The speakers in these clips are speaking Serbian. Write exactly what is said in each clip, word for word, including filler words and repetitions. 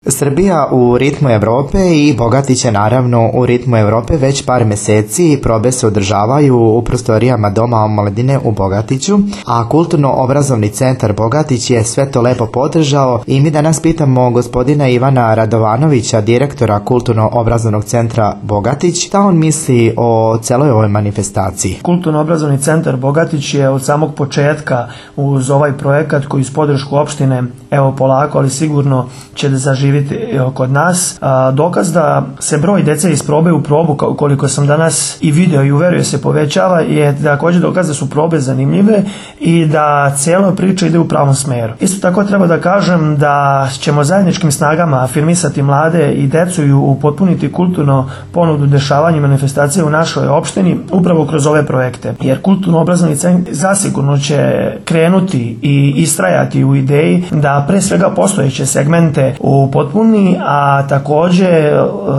Srbija u ritmu Evrope i Bogatić je naravno u ritmu Evrope već par meseci. Probe se održavaju u prostorijama Doma omladine u Bogatiću, a Kulturno-obrazovni centar Bogatić je sve to lepo podržao i mi danas pitamo gospodina Ivana Radovanovića, direktora Kulturno-obrazovnog centra Bogatić, šta on misli o celoj ovoj manifestaciji. Kulturno-obrazovni centar Bogatić je od samog početka uz ovaj projekat koji uz podršku opštine, evo polako, ali sigurno će da zaživi kod nas. Dokaz da se broj dece iz probe u probu, koliko sam danas i video i uverio se povećava, je također dokaz da su probe zanimljive i da cijela priča ide u pravom smeru. Isto tako treba da kažem da ćemo zajedničkim snagama afirmisati mlade i decu i upotpuniti kulturno ponudu dešavanja i manifestacije u našoj opštini upravo kroz ove projekte. Jer kulturno-obrazovni centar zasigurno će krenuti i istrajati u ideji da pre svega postojeće segmente u potpuni, a također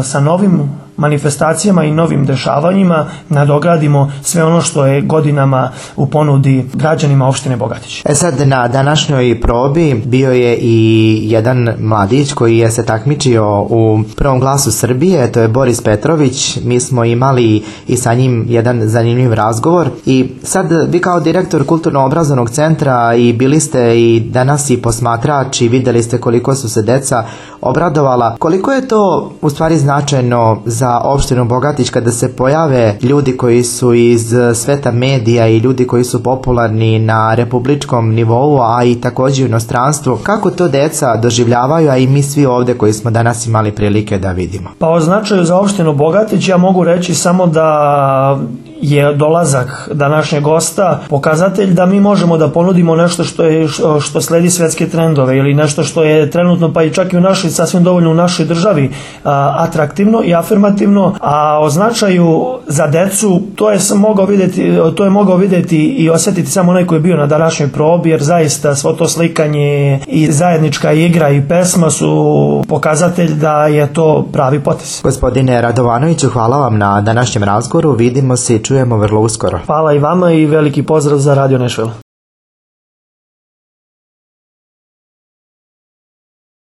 sa novim manifestacijama i novim dešavanjima nadogradimo sve ono što je godinama u ponudi građanima opštine Bogatić. E sad, na današnjoj probi bio je i jedan mladić koji je se takmičio u prvom glasu Srbije, to je Boris Petrović. Mi smo imali i sa njim jedan zanimljiv razgovor i sad vi kao direktor Kulturno-obrazovnog centra i bili ste i danas i posmatrač i videli ste koliko su se deca obradovala. Koliko je to u stvari značajno za opštinu Bogatić kada se pojave ljudi koji su iz sveta medija i ljudi koji su popularni na republičkom nivou, a i također u inostranstvu? Kako to deca doživljavaju, a i mi svi ovde koji smo danas imali prilike da vidimo? Pa o značaju za opštinu Bogatić ja mogu reći samo da je dolazak današnjeg gosta pokazatelj da mi možemo da ponudimo nešto što je što sledi svetske trendove ili nešto što je trenutno pa i čak i u našoj sasvim dovoljno u našoj državi a, atraktivno i afirmativno, a o značaju za decu to je mogao videti to je mogao videti i osetiti samo onaj koji je bio na današnjoj probi, jer zaista svo to slikanje i zajednička igra i pesma su pokazatelj da je to pravi potez. Gospodine Radovanoviću, hvala vam na današnjem razgovoru, vidimo se i čujemo vrlo uskoro. Hvala i vama i veliki pozdrav za Radio Nešvela.